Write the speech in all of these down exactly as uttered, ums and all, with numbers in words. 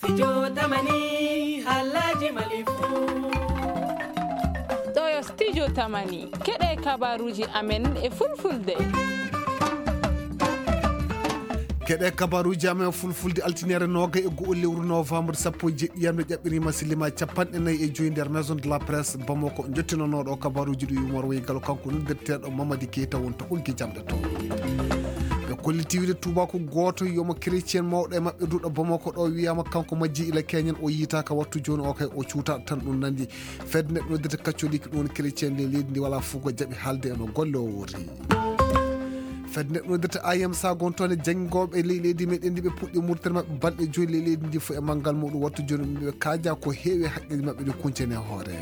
Studio Tamani, Halaji Malifu. Ɗo yo Studio Tamani, keɗe kabaruji amen e fulfulde. Keɗe kabaruji amen e fulfulde, altinere noga e go'o lewru novembre sappo e jeɗɗi, yamde ƴaɓɓirima silima capanɗe nayi e joyi nder Maison de la Presse Bamako. Jottinonoɗo kabaruji ɗi Umar Wey Galo, kanko noddirteɗo Mamadi Keita wonto ɓoggi jamɗe to. Ɓe kolliti wiide tubaku goto yomo chrétien mawɗo e maɓɓe duɗo Bamako ɗo wiyama kanko majji ila Kenyan, o yitaka wattu joni o kay o cuuta tan ɗum nandi. Fedde neɗɗo noddirta catholique ɗum woni chrétien nde leydi ndi wala fugo jaɓi haalde e no golle o wori. Fedde neɗɗo noddirta A M sa gontoone janngoɓe ley leydi meɗen ndi ɓe puɗɗi murtere maɓɓe balɗe joyi ley leydi ndi fof e manngal muɗum wattu joni ɓe kaaja ko heewi e haqqeji maɓɓe ɗi kuncani e hoore.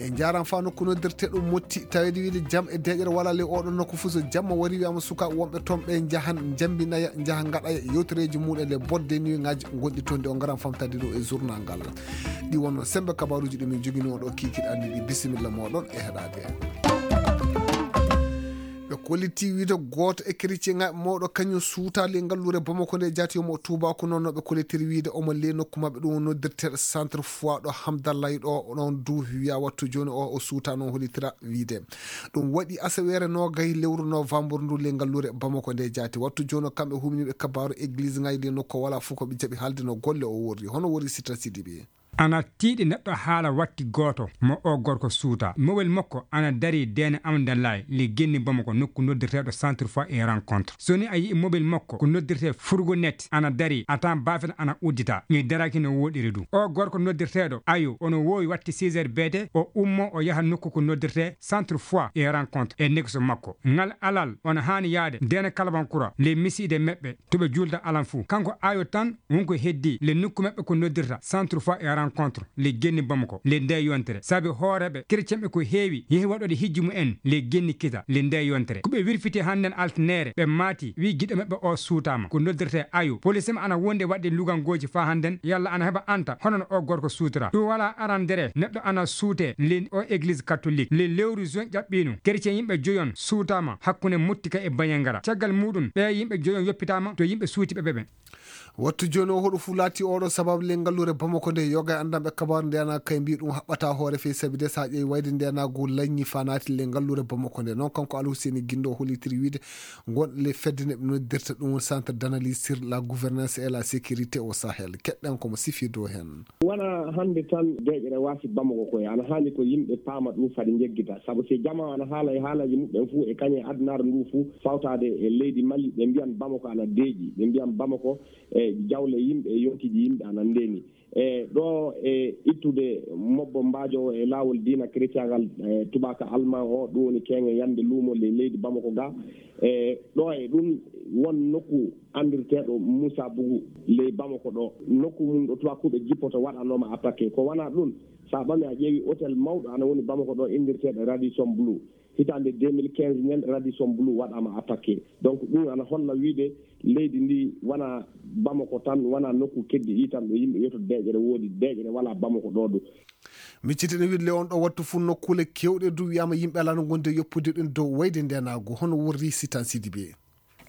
E jaram fa nokku noddirte ɗum motti tawede wiide jam e deƴere wala le oɗon nokku fof so jamma wari wiyama suka wonɓe toon ɓe jahan jambinaya jaha gaɗaya yewtereji muɗum le bodde nuigaji gonɗi toon de o garan famtade ɗum e journal ngal. Ɗi wonno sembe kabaruji ɗi min jogini oɗo kikiɗe anni ɗi bisimilla moɗon e heɗade. Ɓe kolliti wiide goto e chrétien ngaɓe mawɗo kañum suuta le ngalluure Bamako nde jaati omo tubaku noon no ɓe kollitiri wiide omo le nokku maɓɓe ɗum noddirteɗo centre foi ɗo Hamdallah ɗo ɗon du wiya wattu joni o o suuta noon hollitira wiide ɗum waɗi asaweere nogay lewru novembre ndu le ngalluure Bamako nde jaati wattu joni o kamɓe humniɓe kabaru église ngaji le nokku wala fof ko ɓe jaɓi haalde no golle o worri hono worri sita sidiɓe. Ana tiiɗi neɗɗo haala watti gooto mo oo gorko suuta. Mowel makko ana darii Deene Amdalaay, ley genni Bamako, nokku noddirteeɗo Centre Foi et Rencontre. So ni a yi'i mowel makko ko noddirtee fourgonnette ana darii, a tawan baafel ana uddita, ni daraaki no wooɗiri du. Oo gorko noddirteeɗo Ayo, ono woowi watti six heures beete, o ummoo o yaha nokku ko noddirtee Centre Foi et Rencontre e nekso makko. Ngal alal ona haani yaade Deene Kalabankura ley misiide meɓɓe to ɓe juulda alan fuu. Kanko Ayo tan wonko heddii le nokku maɓɓe ko noddirta Centre Foi et Rencontre le genni Bamako le nde yontere. Sabi hooreeɓe kerecenɓe ko heewi yehi waɗoɗe hijju mumen le genni kita le nde yontere. Ko ɓe wirfiti hannden altinere ɓe maati wi giɗo maɓɓe o suutaama ko noddirte Ayo. Police maɓɓe ana wondi waɗde lugangooji faa hannden yalla ana heɓa anta hono no o gorko suutora. Ɗum wala arandere neɗɗo ana suute le o église catholique le lewru juin ƴaɓɓiino. Kerecen yimɓe joyon suutaama hakkunde Mottika e Banyangara. Caggal muɗum ɓe yimɓe joyon yoppitaama to yimɓe suuti ɓe ɓe ɓen. Wattu jooni o hoɗo fu laati oɗo sababu le ngalluure Bamako nde yoga e anndanɓe kabaru nde ana kay mbi ɗum haɓɓata hoore fey sabi de sa ƴeewi wayde nde ana go lañi fa naati le ngalluure Bamako nde. Noon kanko Alhuseni Gindo o hollitiri wiide ngon le fedde ne ɓe noddirta ɗum centre d'analyse sur la gouvernance et la sécurité au Sahel. Keɗɗen komo sifi dow heen. Wona hannde tan deeƴere waasi Bamako koye ana haani ko yimɓe paama ɗum fade njeggita sabu si jama ana haala e haalaaji muɓɓen fuu e kañe adunaaru ndu fuu fawtaade e leydi Mali ɓe mbiyan Bamako ana deeƴi ɓe mbiyan Bamako e jawle yimɓe e yonkiiji yimɓe ana ndeeni. E ɗo e ittude mobbo mbaajowo e laawol diina kiristiyagal e tubaka alman o ɗum woni keŋe yande luumo le leydi Bamako ga. E ɗo e ɗum won nokku anndirteeɗo Moussa Bougou ley Bamako ɗo nokku mum ɗo tubakuɓe jippoto waɗanoma attaqué ko wona ɗum. Sa ɓami a ƴeewi hôtel mawɗo ana woni Bamako ɗo inndirteeɗo Radisson Blu. Hitande deux mille quinze nen Radisson Blu waɗama attaqué. Donc ɗum ana holla wiide leydi ndi wona Bamako tan wona nokku keddi ɗi tan ɗo yimɓe wiyato deeƴere woodi deeƴere wala Bamako ɗo ɗo. Miccitene wiɗle on ɗo wattu fuu nokkuule kewɗe du wiyama yimɓe alano gonde yoppude ɗum dow wayde ndenagu hono worri sitan sidi be.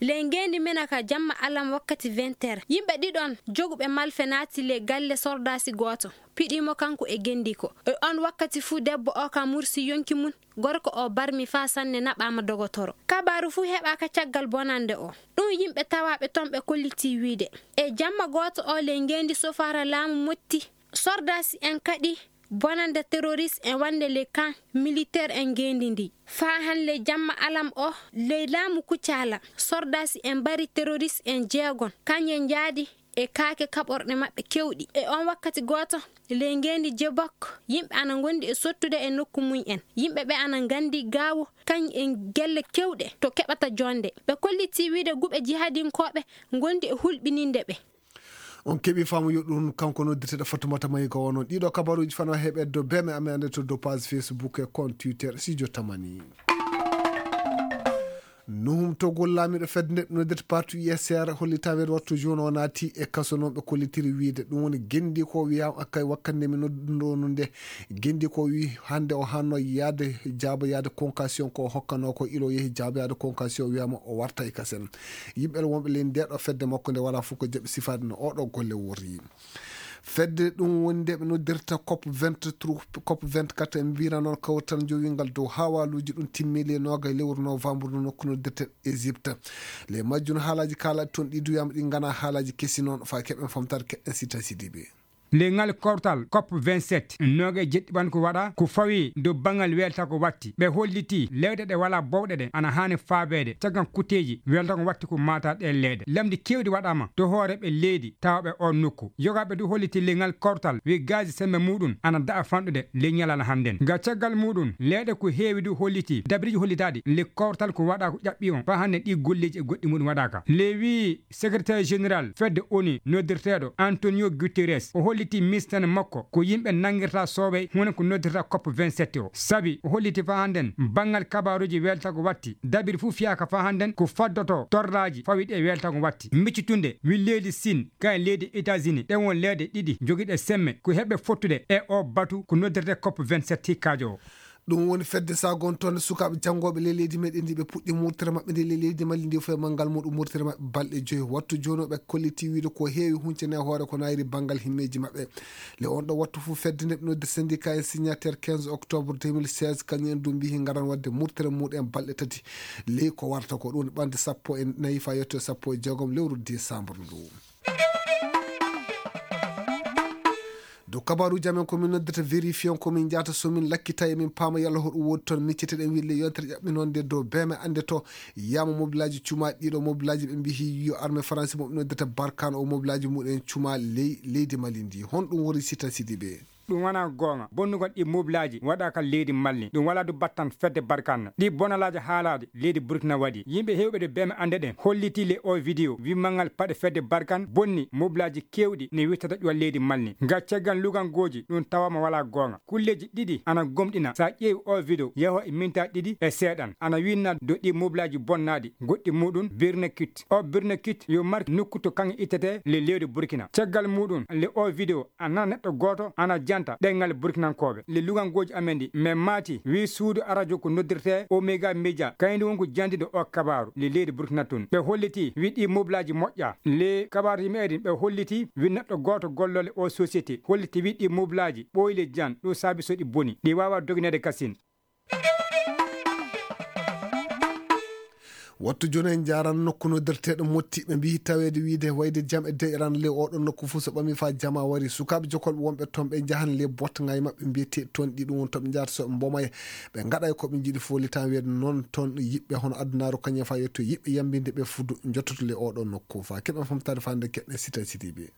Ley ngeendi mena ka jamma alam wakkati vingt heures yimɓe ɗiɗon joguɓe malfe naati ley galle sordaasi gooto piɗiimo kanko e genndiko. E oon wakkati fuu debbo oo ka mursi yonki mum, gorko oo barmi faa sanne naɓaama dogotoro. Kabaaru fuu heɓaaka caggal bonannde oo. Ɗum yimɓe tawaaɓe toon ɓe kollitii wiyde e jamma gooto oo ley ngeendi sofaara laamu motti. Sordaasi en kaɗi bonannde terorist en wannde ley kan militeer en ngeendi ndii. Faa han ley jamma alam oo ley laamu Kucaala sordaasi en mbari terorist en jeegon kañe njaadi e kaake kaɓorɗe maɓɓe kewɗi. E oon wakkati gooto ley ngeendi Jebok yimɓe ana ngondi e sottude e nokku mum en. Yimɓe ɓe ana nganndi gaawo kañ e gelle kewɗe to keɓata joonde. Ɓe kollitii wiyde guɓe jihadinkooɓe ngondi e hulɓininde ɓe. On keɓi faamu yo ɗum kanko noddirteɗo Fatumata Mayi ko onon ɗiɗo kabaruji fano heɓe do beme amen ande to do page Facebook e compte Twitter sijo tamani. Nuhum Togol, laamiiɗo fedde nde ɓe noddirta parti U S R, hollitaa weedu wattu jooni o naati e kaso. Noon ɓe kollitiri wiyde ɗum woni genndi ko wiyaama kay wakkannde mi nodduno nde. Genndi ko wi hannde o hanno yaade jaabo yaade convocation ko o hokkanoo ko ilo yehi jaabo yaade convocation wiyaama o warta e kasen. Yimɓe wonɓe ley nde ɗo fedde makko nde walaa fof ko jaɓi sifaade no oɗo golle worri. Fedde ɗum woni nde ɓe noddirta cop vingt-trois, cop vingt-quatre, en mbiyra noon kawtal jowingal dow hawaluuji ɗum timmi le nooga lewru novembre no nokku noddirte Égypte. Le majjum haalaaji kaalaaɗi toon ɗi duyaama ɗi ngana haalaaji kesi noon faa keɓen famtaade keɗen sita sidiɓe. Le ngal kawtal cop vingt-sept nooga e jeɗɗi ɓan ko waɗa ko fawi dow banngal welta ko watti ɓe holliti leyɗe ɗe walaa bowɗe ɗe ana haani faabeede caggal kutteeji welta ko watti ko maata ɗe leyɗe lamdi keewɗi waɗaama to hooreɓe leydi tawɓe on nokku. Yogaaɓe du holliti le ngal kawtal wi gaaji sembe muɗum ana da'a fanɗude le ñalal hannden. Ga caggal muɗum leyɗe ko heewi du holliti dabiriji hollitaaɗi le kawtal ko waɗa ko ƴaɓɓi on faa hannde ɗi golleeji e goɗɗi muɗum waɗaaka. Le wi Secrétaire général fedde onu noddirteeɗo Antonio Guterres o holliti mistane makko ko yimɓe nanngirta soowey hono ko noddirta cop vingt-sept o. Sabi o holliti faa hannden banngal kabaaruuji weltago watti dabiri fof fiyaaka faa hannden ko faddoto torraaji fawiɗi e weltago watti. Miccitunde wi leydi Siin kayen leydi États-Unis ɗen won leyɗe ɗiɗi jogiiɗe semme ko heɓe fottude e o batu ko noddirte cop vingt-sept hikkaajo o. Ɗum woni fedde sagontonde sukaaɓe janngooɓe ley leydi meɗen ndi ɓe puɗɗi murtere maɓɓe nde ley leydi Mali ndi fof e manngal muɗum murtere maɓɓe balɗe joyi wattu jooni o ɓe kolliti wiide ko heewi huncene e hoore ko nayri banngal himmeeji maɓɓe. Le on ɗo wattu fof fedde nde ɓe noddi syndicat en signateur quinze octobre deux mille seize kañum en du mbihi ngaran waɗde murtere muɗum en balɗe tati ley ko warta ko ɗum ɓande sappo e nayi fa yetto e sappo e jeegom lewru décembre ndu. Dow kabaaruuji amen ko min noddata vérifier on ko min njahata so min lakkita e min paama yalla hoɗum woodi toon micciteɗen wille yontere ƴaɓɓinonde dow beme annde to yama mobilaaji cuma ɗiɗo mobilaaji ɓe mbihi yo arme faransi mo ɓe noddata barkan o mobilaaji muɗen cuma ley leydi mali ndi honɗum woni sita sidi ɓe. Ɗum wonaa goonga bonnugol ɗi mobilaaji waɗaaka leydi malli ɗum walaa du battan fedde barkan ɗi bonalaaji haalaaɗi leydi burkina waɗi yimɓe heewɓe de beme annde ɗen hollitii le o vidéo wimmalngal paɗe fedde barkan bonni mobilaaji keewɗi ne wittata ƴuwal leydi malli nga caggal lugangooji ɗum tawaama walaa goonga kulleeji ɗiɗi ana gomɗina so a ƴeewi o vidéo yaho e minta ɗiɗi e seeɗan ana winna do ɗi mobilaaji bonnaaɗi goɗɗi muɗum birne kit o birne kit yo marki nokku to kaŋŋe ittete le leydi burkina caggal muɗum le o vidéo a nana neɗɗo gooto ana janta ɗenngal burkinankooɓe le lugangooji amen ɗi min maati wi suudu arajo ko noddirte oméga média kayndi won ko jandiɗo o kabaaru le leydi burkina tun ɓe holliti wi ɗi mobilaaji moƴƴa le kabaaruji meɗen ɓe holliti wi neɗɗo gooto gollole o société holliti wi ɗi mobilaaji ɓooyi le jan ɗum saabi so ɗi boni ɗi waawa dogineede kasin. Wattu jooni en njaaran nokku noddirteeɗo motti ɓe mbiyi taweede wiyde wayde jam e deƴran le oɗon nokku fof so ɓami faa jama wari sukaaɓe jokolɓe wonɓe toon ɓe njahan le botnga e maɓɓe mbiyetee toon ɗi ɗum woni toɓe njaata so ɓe mbomay ɓe ngaɗay ko ɓe njiɗi fof litan wiyde noon toon yiɓɓe hono adunaaru kañum faa yetto yiɓɓe yambinde ɓe fudu njottoto le oɗon nokku faa keɓen famtaade faa nde keɓen sita sidiɓe.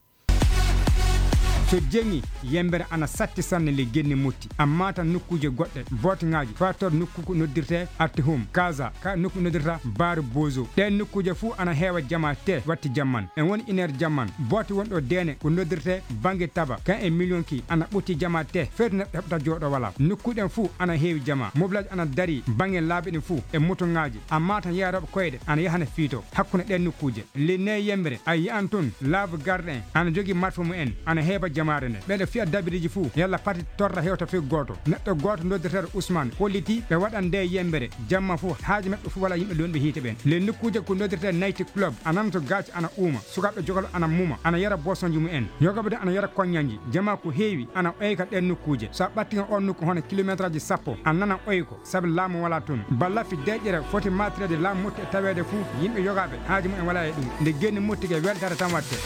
So jeŋi yembere ana satti sanne le genni motti amma tan nokkuuje goɗɗe booteŋaaji fator nokku ko noddirte arti hum kaza ka nokku noddirta baaru bozo ɗen nokkuuje fuu ana heewa jama te watti jamman en woni iner jamman boote wonɗo deene ko noddirte bange taba kan e miliyonki ana ɓotti jama te feetu neɗɗo heɓta jooɗo wala nokkuɗen fuu ana heewi jama mobilaaji ana dari bange laabi ɗin fuu e motoŋaaji amma tan yaarooɓe koyɗe ana yahana fiito hakkunde ɗen nokkuuje le ne yembere a yi'an tun laabu garɗe en ana jogi marfa mumen ana heeba jamaare nde ɓeɗo fiya dabiriji fuu yalla pati torra hewta fii gooto neɗɗo gooto noddirteeɗo usman holliti ɓe waɗan nde yembere jamma fuu haaji maɓɓe fuu wala yimɓe lonɓe hiite ɓen le nokkuuje ko noddirte nayti club a nanato gaaci ana uuma sukaaɓe jogol ana muma ana yara bosonji mumen yogooɓe de ana yara koññanji jama ko heewi ana oyka ɗen nokkuuje so a ɓattiga on nokku hono kilometraji sappo a nana oyko sabi laamu wala toon ba laffi deƴƴere foti matreede laamu motti e taweede fuu yimɓe yogaaɓe haaji mumen wala e ɗum nde genni mottike weltaare tan watte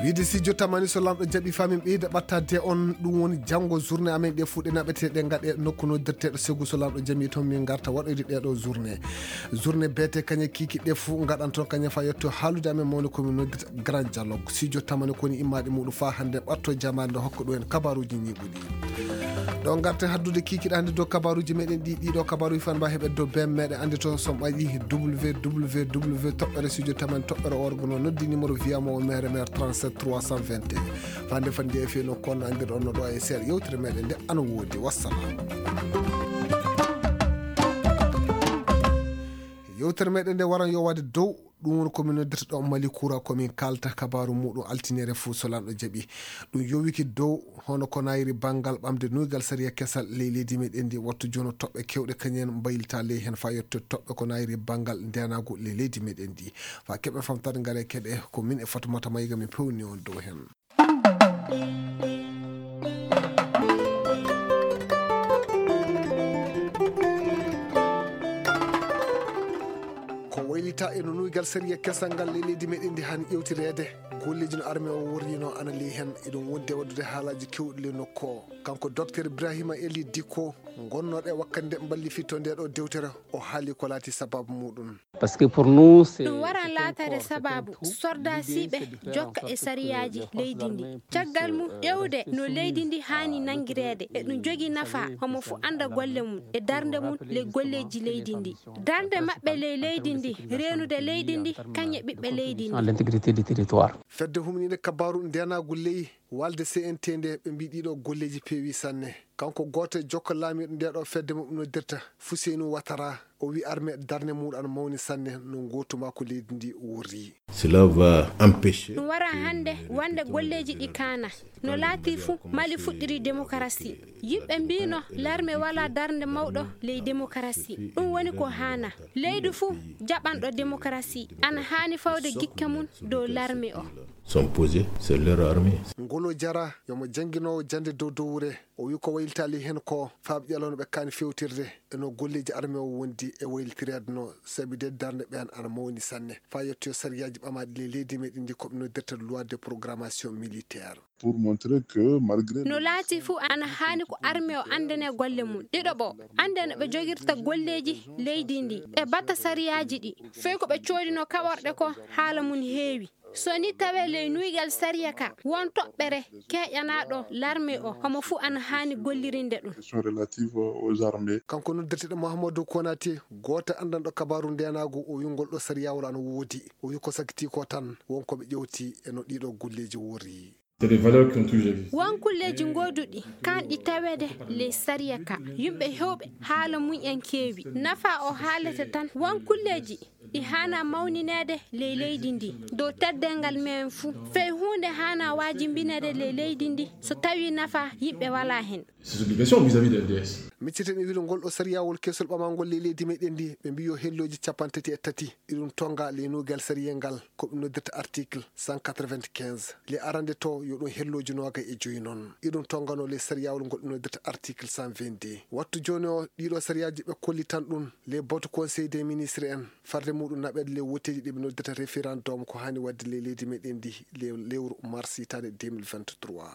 wiide si jottamani so lamɗo jaɓi famin ɓeyda ɓattade on ɗum woni janngo journée amen ɗe fuu ɗe naɓete ɗe gaɗe nokku noddirteɗo segu so lamɗo jami toon min garta waɗoyde ɗeɗo journée journée beete kañe kikiɗe fuu gaɗan toon kañe fa yetto haalude amen mawni komin noddirta grand dialogue si jottamani koni immaɗe muɗum fa hannde ɓatto jamaɗe nde hokka ɗum en kabaruji ñiɓuɗi ɗo garten haddude kikiɗe hannde dow kabaruji meɗen ɗi ɗiɗo kabaruji fan mba heɓe dow bem meɗen anndi toon som ɓaƴi www toɓɓere studio tamani toɓɓere orgo no noddi numéro wiyamo o mere mere trente-sept trois cent vingt et un fande fande e feno kono anndirɗon no ɗo e seeɗa yewtere meɗen nde ana woodi wassalam Yewtere meɗen nde waran yowaade dow ɗum woni ko min noddirta ɗo Mali Kura, ko min kalta kabaaru muɗum altinere fuu so lanɗo jaɓi. Ɗum yowiki dow hono ko nayiri banngal ɓamde nuygal sariya kesal ley leydi meɗen ndi. Wattu jono toɓɓe kewɗe kañum en mbaylita ley heen faa yetto toɓɓe ko nayiri banngal ndenaagu ley leydi meɗen ndi. Faa keɓe famtade ngare keɗe ko min e Fatumata Mayiga min pewni on dow heen. Ko waylita e no nuygal sariya kesal ngal ley leydi meɗen ndi hani ƴewtireede. Golleeji no arme o worrino ana ley heen, eɗum wondi e waɗude haalaaji kewɗi ley nokku o. Kanko Docteur Ibrahima Eli Dikko, gonnooɗo e wakkannde mballifitto nde ɗo dewtere, o haali ko laati sababu muɗum. Parce que pour nous, c'est ɗum waran laataade sababu sordasiiɓe jokka e sariyaaji leydi ndi. Caggal mum, ƴeewde no leydi ndi haani nanngireede e ɗum jogii nafa, homo fuu annda golle mum e darnde mum ley golleeji leydi ndi. Darnde maɓɓe ley leydi ndi, reenude leydi ndi, kañum e ɓiɓɓe leydi ndi. L'intégrité du territoire. Fedde humniinde kabaaru ndeenaagu ley walde C N T nde, ɓe mbii ɗiɗo golleeji peewi sanne. Kanko gooto e jokka laamiiɗo nde ɗo fedde mo ɓe noddirta Fuseynu Watara, o wi arme darnde muɗum ana mawni sanne no ngootu makko leydi ndi worri. Cela va empêcher ɗum wara hannde wonde golleeji ɗi kaana. No laati fuu, Mali fuɗɗiri demokarasi. Yimɓe mbino larme wala darnde mawɗo ley demokarasi. Ɗum woni ko haana. Leydi fuu jaɓanɗo demokarasi ana haani fawde gikke mum dow larme o. Sont posés, c'est leur armée. Ngolo Jara, yomo jannginoowo jannde dow dowre, o wi ko waylitaali heen ko faaɓi ƴalawno ɓe kaani fewtirde e no golleeji arme o wondi e waylitireede no sabi de darnde ɓeen ana mawni sanne. Faa yettoyo sariyaaji ɓamaaɗi ley leydi meɗen ndi ko ɓe noddirta loi de programmation militaire. Pour montrer que malgré no laati fuu ana haani ko arme o anndane golle mum. Ɗiɗo ɓo, annde no ɓe jogirta golleeji leydi ndi. Ɓe bata sariyaaji ɗi. Fey ko ɓe coodino kaɓorɗe ko haala mum heewi. So ni tawee ley nuygal sariya ka, won toɓɓere keeƴanaaɗo larme o, homo fuu ana haani gollirinde ɗum. Question relative aux armées. Kanko noddirteɗo Mahamadou Konaté, gooto anndanɗo kabaaru ndeenaagu, o wi ngol ɗo sariyawol ana woodi. O wi ko sakiti ko tan, won ko ɓe ƴewti e no ɗiɗo golleeji worri. C'est des valeurs qui ont toujours existé. Won kulleeji gooduɗi, kanɗi taweede ley sariya ka. Yimɓe heewɓe haala mum en keewi. Nafa o haalete tan, won kulleeji ɗi haana mawnineede ley leydi ndi, dow teddeengal men fuu. Fey huunde haana waajibinede ley leydi ndi, so tawii nafa yimɓe walaa heen. Ses obligations vis-à-vis de la D S. Micciten e wiide ngol ɗo sariyawol kesol ɓamangol ley leydi meɗen ndi, ɓe mbii yo hellooji capanɗe tati e tati, iɗum tonga ley nuygal sariyel ngal, ko ɓe noddirta article cent quatre-vingt-quinze. Ley arande to yo ɗum hellooji noogay e joyi noon. Iɗum tongano ley sariyawol ngol ɓe noddirta article cent vingt-deux. Wattu jooni o, ɗiɗo sariyaaji ɓe kollitan ɗum ley batu Conseil des ministres en, farde muɗum naɓeede ley wotteeji ɗi ɓe noddirta référendum ko haani waɗde ley leydi meɗen ndi ley lewru mars hitaande deux mille vingt-trois.